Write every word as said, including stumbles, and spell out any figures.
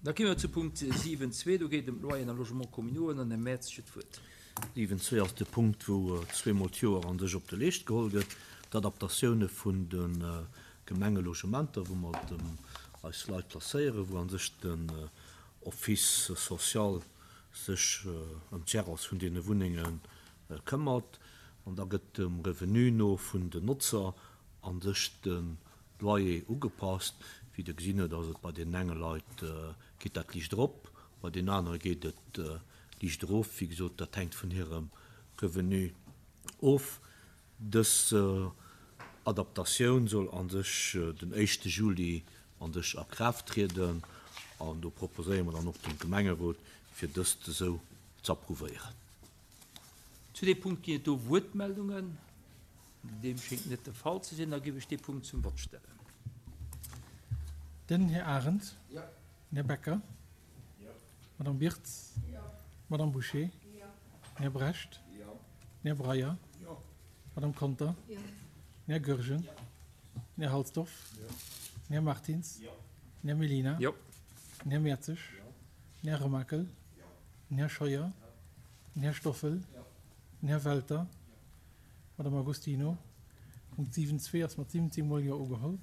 Da komme mer zu Punkt siwen zwee, do geet et ëm d'Loyeren a Logements communaux an den Här Merz huet d'Wuert. Siwen zwee ass de Punkt, wou zweemol d'Joer an sech op de Leescht geholl gëtt, d'Adaptatioune vun de Gemengelogementer, wou mer eis Leit placéieren, wou an sech den Office social sech ëm d'Gérance vun deene Wunnenge këmmert. An da gëtt dem Revenu no vun den Notzer an sech de Loyer ugepasst. Wéi Der gesinn hutt, ass et bei deenen enge Leit geet dat liicht erop, bei deenen anere geet et liicht erof. Wéi gesot, dat hänkt vun hirem Revenu of. Dës Adaptatioun soll a sech den éischte Juli an sech a Kraaft trieden an do proposéiere mer dann och dem Gemengerot, fir dëst esou z'approuvéieren. Zu deem Punkt ginn et do Wuertmeldungen? Deem schéngt net de Fall ze sinn. Da géif ech dee Punkt zum Vott stellen. Den Här Arendt. Den Här Becker. D'Madame Birtz. D'Madame Bouché. Den Här Brecht. Den Här Breyer. D'Madame Conter. Den Här Goergen. Den Här Halsdorf. Den Här Martins. Den Här Mellina. Den Här Mertzig. Den Här Remakel. Den Här Scheuer. Den Här Stoffel. Den Här Welter. D'Madame Agostino. Punkt siwen zwee ass mat siwwenzéng Mol Jo ugeholl.